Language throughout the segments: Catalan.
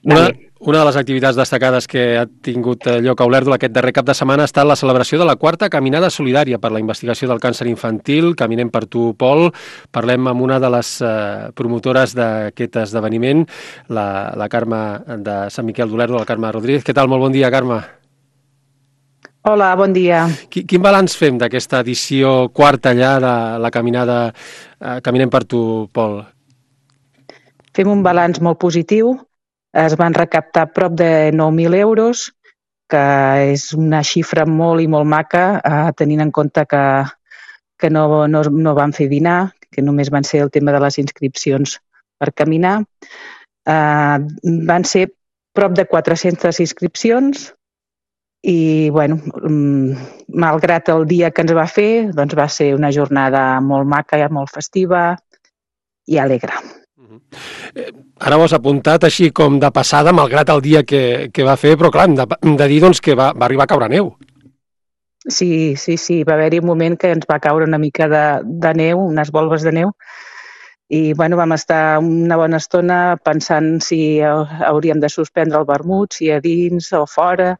Una de les activitats destacades que ha tingut lloc a Olèrdola aquest darrer cap de setmana ha estat la celebració de la 4a Caminada Solidària per la investigació del càncer infantil. Caminem per tu, Pol. Parlem amb una de les promotores d'aquest esdeveniment, la Carme de Sant Miquel d'Olèrdola, la Carme Rodríguez. Què tal? Molt bon dia, Carme. Hola, bon dia. Quin balanç fem d'aquesta edició quarta ja de la caminada Caminem per tu, Pol? Fem un balanç molt positiu. Es van recaptar prop de 9.000 euros, que és una xifra molt i molt maca, tenint en compte que no van fer dinar, que només van ser el tema de les inscripcions per caminar. Van ser prop de 400 inscripcions i, bueno, malgrat el dia que ens va fer, doncs va ser una jornada molt maca, molt festiva i alegre. Ara ho has apuntat així com de passada, malgrat el dia que va fer, però clar, hem de dir doncs, que va arribar a caure neu. Sí, va haver-hi un moment que ens va caure una mica de neu, unes volves de neu, i bueno, vam estar una bona estona pensant si hauríem de suspendre el vermut, si a dins o fora,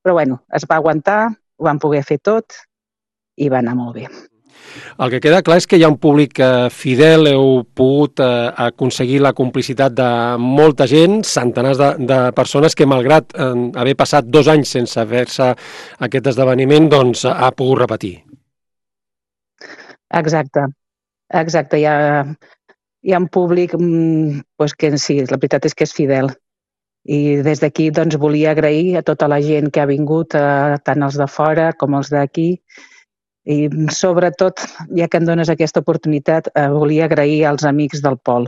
però bueno, es va aguantar, ho vam poder fer tot i va anar molt bé. El que queda clar és que hi ha un públic fidel, heu pogut aconseguir la complicitat de molta gent, centenars de persones que, malgrat haver passat 2 anys sense fer-se aquest esdeveniment, doncs ha pogut repetir. Exacte. Hi ha un públic que sí, la veritat és que és fidel. I des d'aquí doncs, volia agrair a tota la gent que ha vingut, tant els de fora com els d'aquí, i sobretot, ja que em dones aquesta oportunitat, volia agrair als amics del Pol,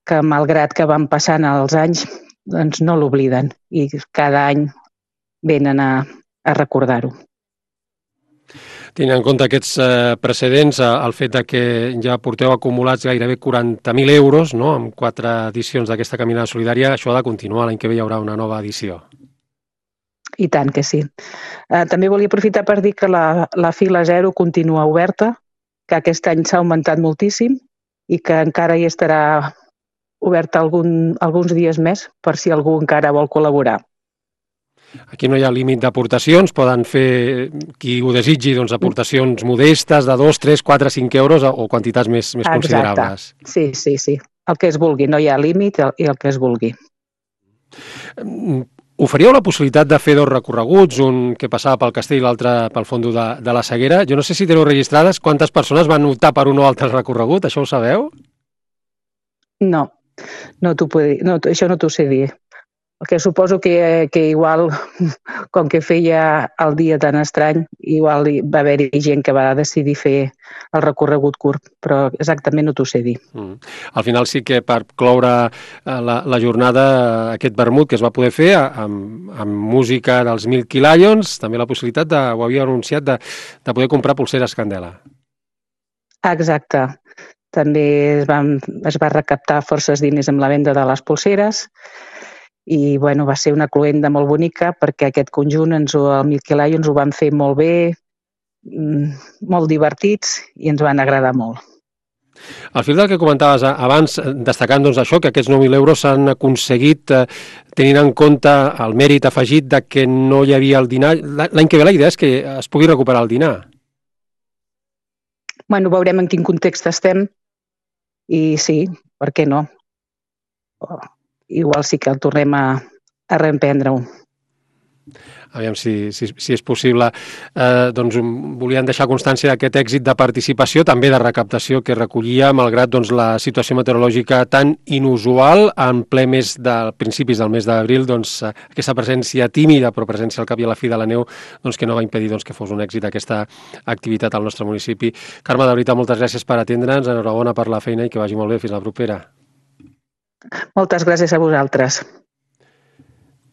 que malgrat que van passant els anys, doncs no l'obliden i cada any venen a recordar-ho. Tenint en compte aquests precedents, el fet que ja porteu acumulats gairebé 40.000 euros, no?, amb 4 edicions d'aquesta caminada solidària, això ha de continuar, l'any que ve hi haurà una nova edició. I tant que sí. També volia aprofitar per dir que la fila 0 continua oberta, que aquest any s'ha augmentat moltíssim i que encara hi estarà oberta alguns dies més per si algú encara vol col·laborar. Aquí no hi ha límit d'aportacions, poden fer, qui ho desitgi, doncs, aportacions modestes de 2, 3, 4, 5 euros o quantitats més considerables. Sí. El que es vulgui, no hi ha límit i el que es vulgui. Oferíeu la possibilitat de fer 2 recorreguts, un que passava pel castell i l'altre pel fondo de la Seguera. Jo no sé si teniu registrades quantes persones van optar per un o altre recorregut, això ho sabeu? No t'ho puc dir, això no t'ho sé dir. El que suposo que igual, com que feia el dia tan estrany, igual va haver-hi gent que va decidir fer el recorregut curt, però exactament no t'ho sé dir. Al final sí que per cloure la jornada, aquest vermut que es va poder fer amb música dels Milky Lions, també la possibilitat, ho havia anunciat, de poder comprar pulseres Candela. Exacte. També es va recaptar forces diners amb la venda de les pulseres i bueno, va ser una cloenda molt bonica perquè aquest conjunt, el Milky Lions, ho van fer molt bé, molt divertits i ens van agradar molt. Al fil del que comentaves abans, destacant doncs, això, que aquests 9.000 euros s'han aconseguit tenint en compte el mèrit afegit de que no hi havia el dinar. L'any que ve la idea és que es pugui recuperar el dinar. Bueno, veurem en quin context estem i sí, per què no? Igual sí que el tornem a reemprendre-ho. Aviam si és possible. Doncs volien deixar constància d'aquest èxit de participació, també de recaptació que recollia, malgrat doncs, la situació meteorològica tan inusual, en ple mes de principis del mes d'abril, doncs, aquesta presència tímida, però presència al cap i a la fi de la neu, doncs, que no va impedir doncs, que fos un èxit aquesta activitat al nostre municipi. Carme, de veritat, moltes gràcies per atendre'ns, enhorabona per la feina i que vagi molt bé. Fins la propera. Moltes gràcies a vosaltres.